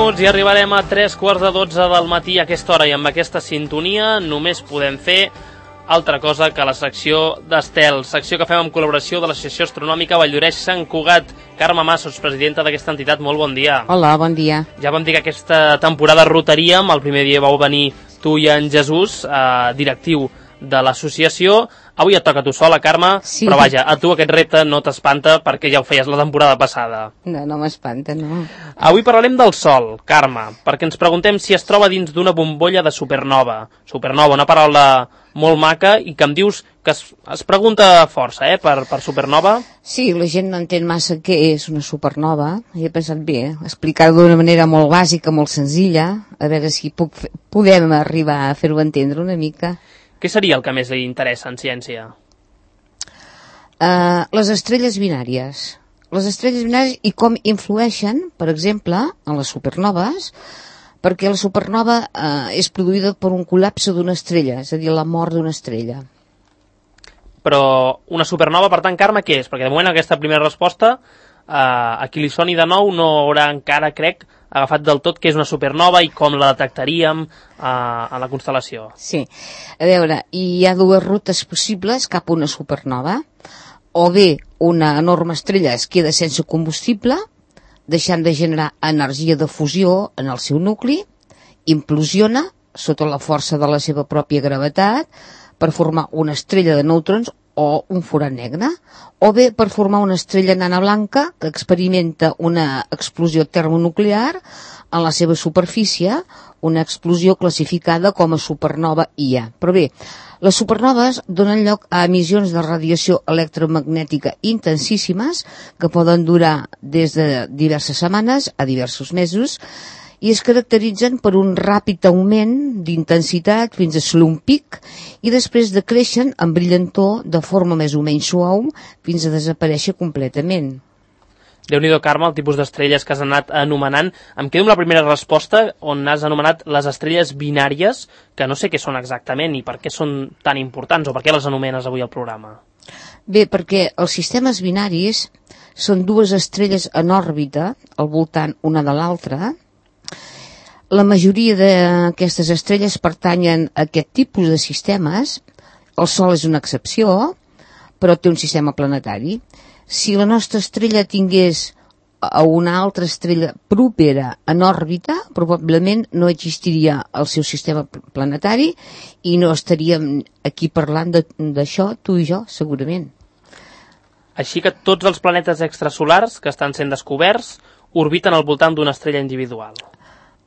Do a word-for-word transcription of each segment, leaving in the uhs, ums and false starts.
minuts i arribarem a tres quarts de dotze del matí a aquesta hora, i amb aquesta sintonia només podem fer altra cosa que la secció d'Estel, secció que fem en col·laboració de l'Associació Astronòmica Valldoreix-Sant Cugat. Carme Massos, presidenta d'aquesta entitat, molt bon dia. Hola, bon dia. Ja vam dir que aquesta temporada rotaríem, el primer dia vau venir tu i en Jesús, eh, directiu de l'associació. Avui et toca a tu sola, Carme, sí. Però vaja, a tu aquest repte no t'espanta perquè ja ho feies la temporada passada. No, no m'espanta, no. Avui parlarem del Sol, Carme, perquè ens preguntem si es troba dins d'una bombolla de supernova. Supernova, una paraula molt maca i que em dius que es, es pregunta força, eh, per, per supernova. Sí, la gent no entén massa què és una supernova, i he pensat bé, explicar-ho d'una manera molt bàsica, molt senzilla, a veure si puc fer, podem arribar a fer-ho entendre una mica. Què seria el que més li interessa en ciència? Uh, les estrelles binàries. Les estrelles binàries i com influeixen, per exemple, en les supernoves, perquè la supernova uh, és produïda per un col·lapse d'una estrella, és a dir, la mort d'una estrella. Però una supernova, per tant, Carme, què és? Perquè de moment aquesta primera resposta, uh, a qui li soni de nou no haurà encara, crec, agafat del tot què és una supernova i com la detectaríem uh, a la constel·lació. Sí, a veure, hi ha dues rutes possibles cap a una supernova. O bé una enorme estrella es queda sense combustible, deixant de generar energia de fusió en el seu nucli, implosiona sota la força de la seva pròpia gravetat per formar una estrella de neutrons o un forat negre, o bé per formar una estrella nana blanca que experimenta una explosió termonuclear en la seva superfície, una explosió classificada com a supernova I A. Però bé, les supernoves donen lloc a emissions de radiació electromagnètica intensíssimes que poden durar des de diverses setmanes a diversos mesos i es caracteritzen per un ràpid augment d'intensitat fins a assolir un pic i després decreixen en brillantor de forma més o menys suau fins a desaparèixer completament. Déu-n'hi-do, Carme, el tipus d'estrelles que has anat anomenant. Em quedo amb la primera resposta, on has anomenat les estrelles binàries, que no sé què són exactament i per què són tan importants, o per què les anomenes avui al programa. Bé, perquè els sistemes binaris són dues estrelles en òrbita, al voltant una de l'altra. La majoria d'aquestes estrelles pertanyen a aquest tipus de sistemes. El Sol és una excepció, però té un sistema planetari. Si la nostra estrella tingués a una altra estrella propera en òrbita, probablement no existiria el seu sistema planetari i no estaríem aquí parlant d'això, tu i jo, segurament. Així que tots els planetes extrasolars que estan sent descoberts orbiten al voltant d'una estrella individual.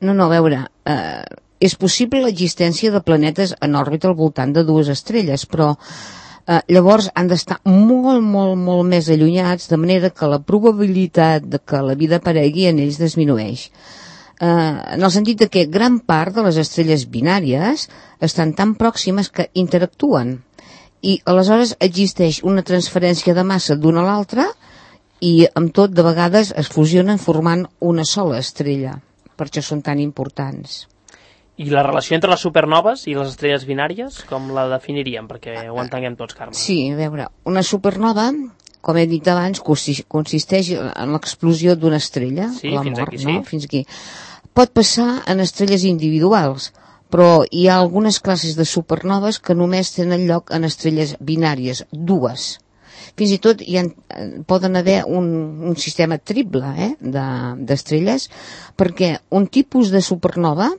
No, no, a veure, eh, és possible l'existència de planetes en òrbita al voltant de dues estrelles, però eh, llavors han d'estar molt, molt, molt més allunyats, de manera que la probabilitat de que la vida aparegui en ells disminueix. Eh, en el sentit de que gran part de les estrelles binàries estan tan pròximes que interactuen i aleshores existeix una transferència de massa d'una a l'altra i amb tot de vegades es fusionen formant una sola estrella. Per això són tan importants. I la relació entre les supernoves i les estrelles binàries, com la definiríem? Perquè ho entenguem tots, Carme. Sí, a veure, una supernova, com he dit abans, consisteix en l'explosió d'una estrella, sí, la fins mort, aquí, no? Sí. Fins aquí. Pot passar en estrelles individuals, però hi ha algunes classes de supernoves que només tenen lloc en estrelles binàries, dues. Fins i tot hi ha, poden haver un, un sistema triple eh, d'estrelles, perquè un tipus de supernova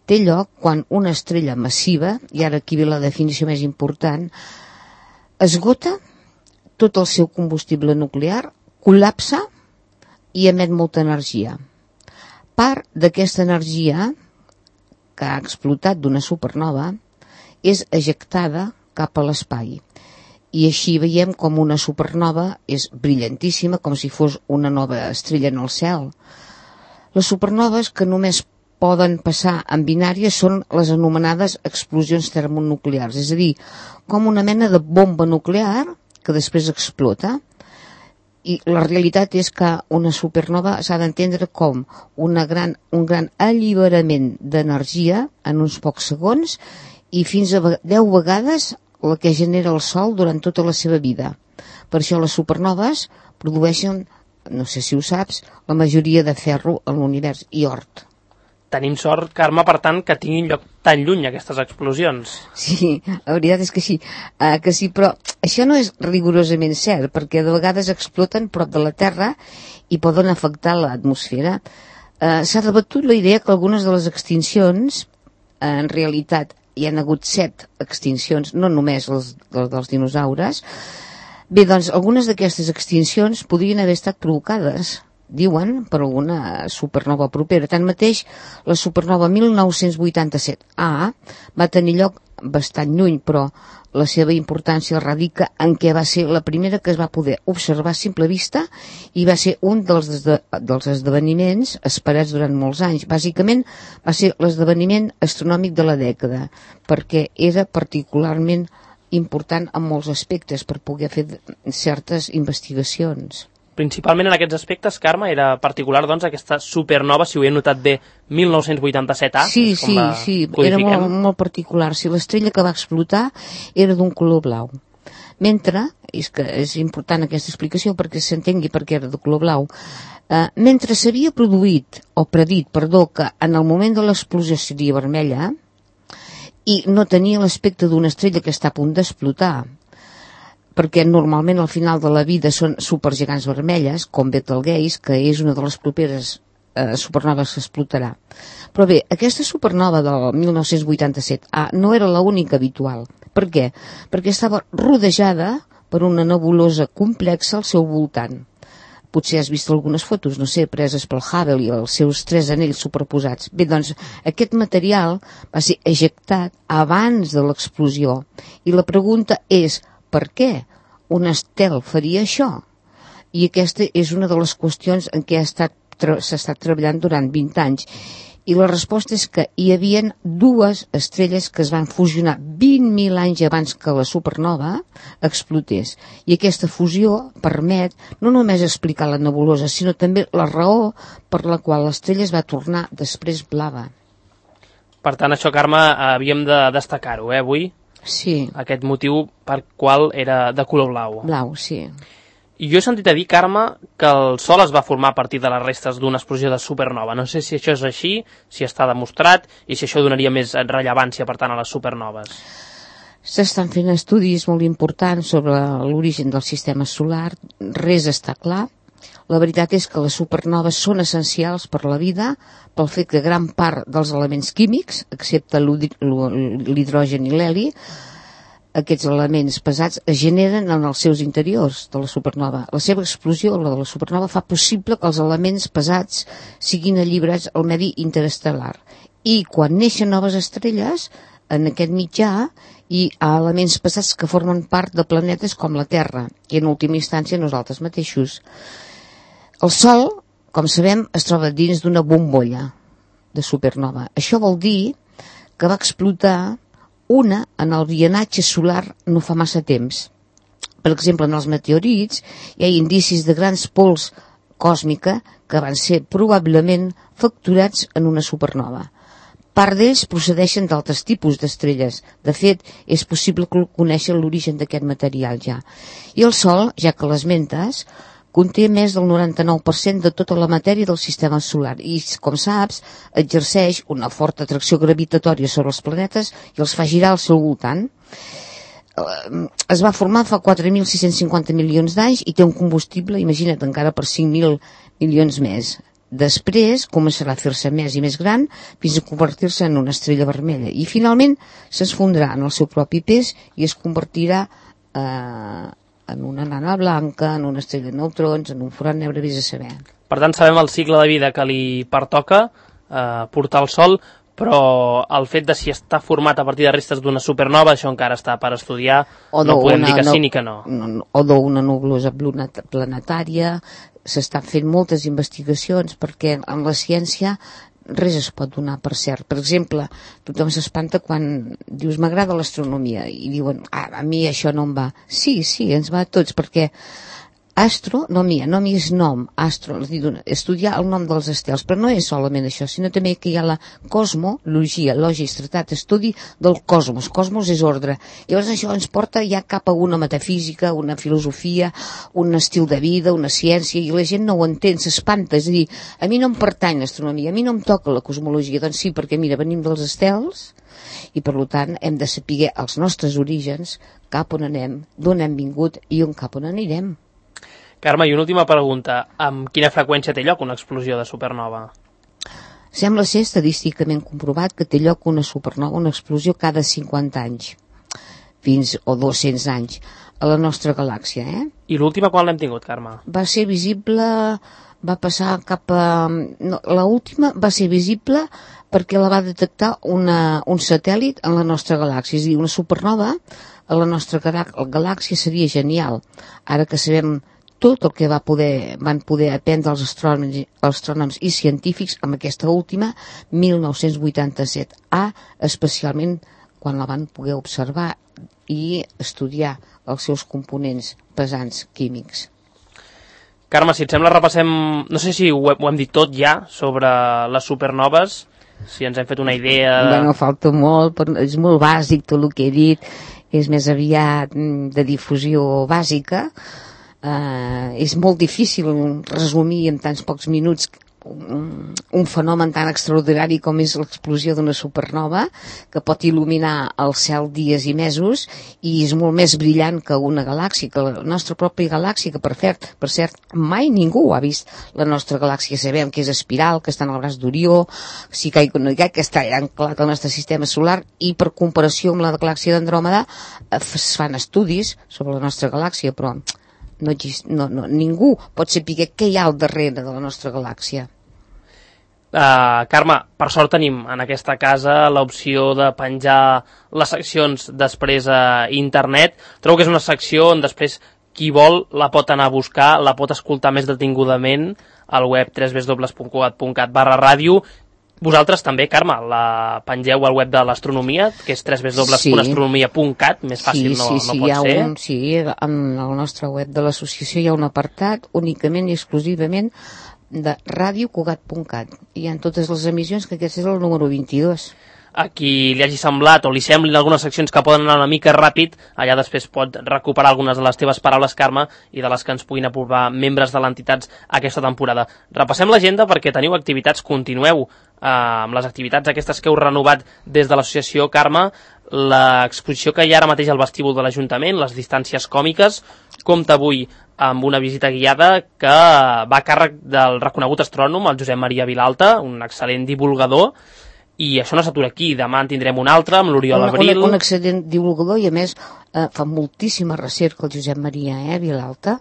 té lloc quan una estrella massiva, i ara aquí ve la definició més important, esgota tot el seu combustible nuclear, col·lapsa i emet molta energia. Part d'aquesta energia que ha explotat d'una supernova és ejectada cap a l'espai. I així veiem com una supernova és brillantíssima, com si fos una nova estrella en el cel. Les supernoves que només poden passar en binàries són les anomenades explosions termonuclears, és a dir, com una mena de bomba nuclear que després explota. I la realitat és que una supernova s'ha d'entendre com una gran, un gran alliberament d'energia en uns pocs segons i fins a deu vegades la que genera el Sol durant tota la seva vida. Per això les supernoves produeixen, no sé si ho saps, la majoria de ferro en l'univers i ort. tenim sort, Carme, per tant, que tinguin lloc tan lluny aquestes explosions. Sí, la veritat és que sí, uh, que sí, però això no és rigorosament cert, perquè de vegades exploten prop de la Terra i poden afectar l'atmosfera. Uh, S'ha debatut la idea que algunes de les extincions, uh, en realitat, hi han hagut set extincions, no només les, les dels dinosaures. Bé, doncs, algunes d'aquestes extincions podrien haver estat provocades, diuen, per alguna supernova propera. Tanmateix, la supernova mil nou-cents vuitanta-set A va tenir lloc bastant lluny, però la seva importància radica en què va ser la primera que es va poder observar a simple vista i va ser un dels, esde dels esdeveniments esperats durant molts anys. Bàsicament, va ser l'esdeveniment astronòmic de la dècada, perquè era particularment important en molts aspectes per poder fer certes investigacions. Principalment en aquests aspectes, Carme, era particular, doncs, aquesta supernova, si ho he notat bé, mil nou-cents vuitanta-set A. Sí, sí, sí, era molt, molt particular. Si l'estrella que va explotar era d'un color blau. Mentre, és que és important aquesta explicació perquè s'entengui per què era de color blau, eh, mentre s'havia produït, o predit, perdó, que en el moment de l'explosió seria vermella, i no tenia l'aspecte d'una estrella que està a punt d'explotar, perquè normalment al final de la vida són supergegants vermelles, com Betelgeuse, que és una de les properes eh, supernoves que explotarà. Però bé, aquesta supernova del mil nou-cents vuitanta-set A no era l'única habitual. Per què? Perquè estava rodejada per una nebulosa complexa al seu voltant. Potser has vist algunes fotos, no sé, preses pel Hubble i els seus tres anells superposats. Bé, doncs, aquest material va ser ejectat abans de l'explosió. I la pregunta és, per què un estel faria això? I aquesta és una de les qüestions en què s'ha estat treballant durant vint anys. I la resposta és que hi havia dues estrelles que es van fusionar vint mil anys abans que la supernova explotés. I aquesta fusió permet no només explicar la nebulosa, sinó també la raó per la qual l'estrella es va tornar després blava. Per tant, això, Carme, havíem de destacar-ho, eh, avui? Sí. Aquest motiu per qual era de color blau. Blau, sí. I jo he sentit a dir, Carme, que el Sol es va formar a partir de les restes d'una explosió de supernova. No sé si això és així, si està demostrat, i si això donaria més rellevància, per tant, a les supernoves. S'estan fent estudis molt importants sobre l'origen del sistema solar. Res està clar. La veritat és que les supernoves són essencials per la vida, pel fet que gran part dels elements químics, excepte l'hidrogen i l'heli, aquests elements pesats es generen en els seus interiors de la supernova. La seva explosió, la de la supernova, fa possible que els elements pesats siguin alliberats al medi interestel·lar. I quan neixen noves estrelles, en aquest mitjà hi ha elements pesats que formen part de planetes com la Terra, i en última instància nosaltres mateixos. El Sol, com sabem, es troba dins d'una bombolla de supernova. Això vol dir que va explotar una en el vianatge solar no fa massa temps. Per exemple, en els meteorits hi ha indicis de grans pols còsmica que van ser probablement facturats en una supernova. Part d'ells procedeixen d'altres tipus d'estrelles. De fet, és possible conèixer l'origen d'aquest material ja. I el Sol, ja que l'esmentes, conté més del noranta-nou per cent de tota la matèria del sistema solar i, com saps, exerceix una forta atracció gravitatòria sobre els planetes i els fa girar al seu voltant. Es va formar fa quatre mil sis-cents cinquanta milions d'anys i té un combustible, imagina't, encara per cinc mil milions més. Després començarà a fer-se més i més gran fins a convertir-se en una estrella vermella i finalment s'esfondrà en el seu propi pes i es convertirà eh, en una nana blanca, en una estrella de neutrons, en un forat negre, vés a saber. Per tant, sabem el cicle de vida que li pertoca eh, portar al Sol, però el fet de si està format a partir de restes d'una supernova, això encara està per estudiar, o no podem dir que sí ni que no. O d'una nebulosa planetària, s'estan fent moltes investigacions perquè en la ciència res es pot donar per cert. Per exemple, tothom s'espanta quan dius m'agrada l'astronomia i diuen ah, a mi això no em va. Sí, sí, ens va a tots perquè Astro, no mia, no mi és nom, astro, estudiar el nom dels estels, però no és solament això, sinó també que hi ha la cosmologia, lògics, tractat, estudi del cosmos, cosmos és ordre. Llavors això ens porta ja cap a una metafísica, una filosofia, un estil de vida, una ciència, i la gent no ho entén, s'espanta, és a dir, a mi no em pertany l'astronomia, a mi no em toca la cosmologia, doncs sí, perquè mira, venim dels estels, i per tant hem de saber els nostres orígens, cap on anem, d'on hem vingut i on cap on anirem. Carme, i una última pregunta. Amb quina freqüència té lloc una explosió de supernova? Sembla ser estadísticament comprovat que té lloc una supernova, una explosió cada cinquanta anys, fins o dos-cents anys, a la nostra galàxia. Eh? I l'última quan l'hem tingut, Carme? Va ser visible, va passar cap a... No, l'última va ser visible perquè la va detectar una, un satèl·lit en la nostra galàxia. És a dir, una supernova a la nostra galàxia seria genial. Ara que sabem tot el que va poder, van poder aprendre els astrònoms, astrònoms i científics amb aquesta última, mil nou-cents vuitanta-set A, especialment quan la van poder observar i estudiar els seus components pesants químics. Carme, si et sembla, repassem, no sé si ho, ho hem dit tot ja, sobre les supernoves, si ens hem fet una idea... De... Bueno, falta molt, però és molt bàsic tot el que he dit, és més aviat de difusió bàsica. Uh, és molt difícil resumir en tants pocs minuts un, un fenomen tan extraordinari com és l'explosió d'una supernova, que pot il·luminar el cel dies i mesos, i és molt més brillant que una galàxia, que la nostra pròpia galàxia, que per cert, per cert mai ningú ha vist la nostra galàxia. Sabem que és espiral, que està en el braç d'Orió, si que, que està anclat al nostre sistema solar, i per comparació amb la galàxia d'Andròmeda es fan estudis sobre la nostra galàxia, però No, no, no, ningú pot saber què hi ha al darrere de la nostra galàxia. Uh, Carme, per sort tenim en aquesta casa l'opció de penjar les seccions després a internet. Trobo que és una secció on després qui vol la pot anar a buscar, la pot escoltar més detingudament al web w w w punt cugat punt cat barra ràdio. Vosaltres també, Carme, la pengeu al web de l'astronomia, que és w w w punt astronomia punt cat, més fàcil sí, no, sí, no sí, pot ser. Un, sí, en el nostre web de l'associació hi ha un apartat únicament i exclusivament de ràdio cugat punt cat. Hi ha totes les emissions, que aquest és el número vint-i-dos. A qui li hagi semblat o li semblin algunes seccions que poden anar una mica ràpid, allà després pot recuperar algunes de les teves paraules, Carme, i de les que ens puguin aprovar membres de l'entitat aquesta temporada. Repassem l'agenda perquè teniu activitats, continueu eh, amb les activitats aquestes que heu renovat des de l'associació, Carme, l'exposició que hi ha ara mateix al vestíbul de l'Ajuntament, les distàncies còmiques, compta avui amb una visita guiada que va a càrrec del reconegut astrònom, el Josep Maria Vilalta, un excel·lent divulgador. I això no s'atura aquí, demà en tindrem un altre amb l'Oriol Abril. Un, un excel·lent divulgador, i a més eh, fa moltíssima recerca el Josep Maria eh, Vilalta,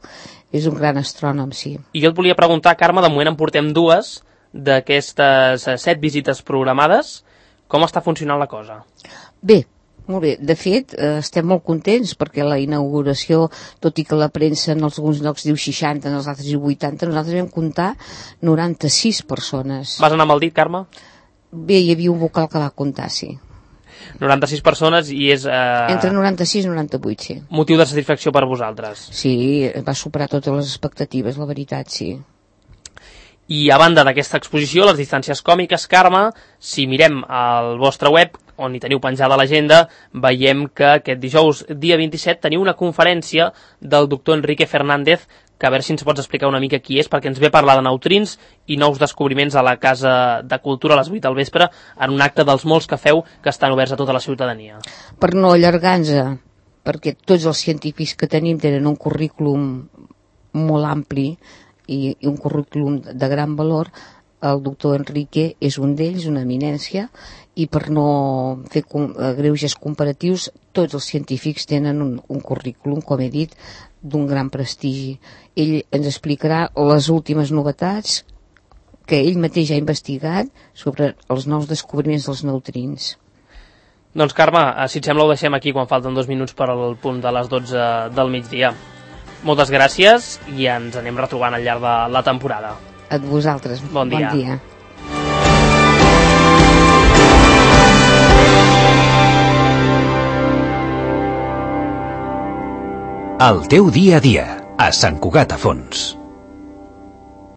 és un gran astrònom, sí. I jo et volia preguntar, Carme, de moment en portem dues d'aquestes set visites programades. Com està funcionant la cosa? Bé, molt bé. De fet, eh, estem molt contents perquè la inauguració, tot i que la premsa en alguns llocs diu seixanta, en els altres diu vuitanta, nosaltres vam comptar noranta-sis persones. Vas anar amb el dit, Carme? Bé, hi havia un vocal que va comptar, sí. noranta-sis persones i és... Eh... Entre noranta-sis i noranta-vuit, sí. Motiu de satisfacció per vosaltres. Sí, va superar totes les expectatives, la veritat, sí. I a banda d'aquesta exposició, les distàncies còmiques, Carme, si mirem al vostre web, on hi teniu penjada l'agenda, veiem que aquest dijous, dia vint-i-set, teniu una conferència del doctor Enrique Fernández, que a veure si ens pots explicar una mica qui és, perquè ens ve a parlar de neutrins i nous descobriments a la Casa de Cultura a les vuit del vespre, en un acte dels molts que feu que estan oberts a tota la ciutadania. Per no allargar-nos, perquè tots els científics que tenim tenen un currículum molt ampli i, i un currículum de gran valor, el doctor Enrique és un d'ells, una eminència, i per no fer com, greuges comparatius, tots els científics tenen un, un currículum, com he dit, d'un gran prestigi. Ell ens explicarà les últimes novetats que ell mateix ha investigat sobre els nous descobriments dels neutrins. Doncs Carme, si et sembla ho deixem aquí quan falten dos minuts per al punt de les dotze del migdia. Moltes gràcies i ens anem retrobant al llarg de la temporada. A vosaltres. Bon dia. Bon dia. El teu dia a dia. a Sant Cugat a Fons.